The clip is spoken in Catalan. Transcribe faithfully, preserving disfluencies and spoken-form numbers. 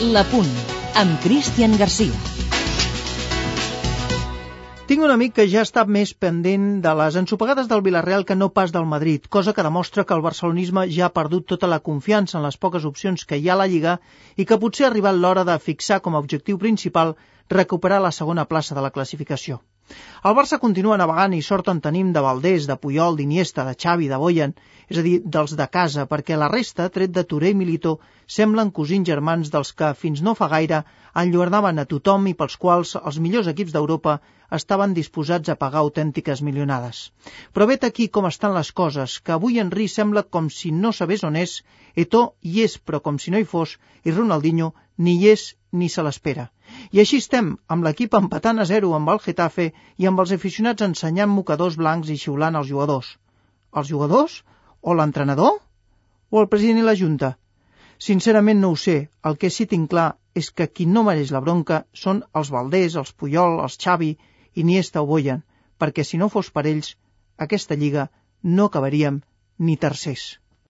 L'Apunt, amb Cristian Garcia. Tinc un amic que ja està més pendent de les ensopegades del Villarreal que no pas del Madrid, cosa que demostra que el barcelonisme ja ha perdut tota la confiança en les poques opcions que hi ha a la Lliga i que potser ha arribat l'hora de fixar com a objectiu principal recuperar la segona plaça de la classificació. El Barça continua navegant i sort en tenim de Valdés, de Puyol, d'Iniesta, de Xavi, de Boyan, és a dir, dels de casa, perquè la resta, tret de Touré i Milito, semblen cosins germans dels que fins no fa gaire enlluernaven a tothom i pels quals els millors equips d'Europa estaven disposats a pagar autèntiques milionades. Però vet aquí com estan les coses, que avui Henry sembla com si no sabés on és, Eto'o hi és però com si no hi fos, i Ronaldinho ni hi és ni se l'espera. I així estem, amb l'equip empatant a zero amb el Getafe i amb els aficionats ensenyant mocadors blancs i xiulant els jugadors. Els jugadors? O l'entrenador? O el president i la Junta? Sincerament no ho sé, el que sí tinc clar és que qui no mereix la bronca són els Valdés, els Puyol, els Xavi, Iniesta o Boyan, perquè si no fos per ells, aquesta lliga no acabaríem ni tercers.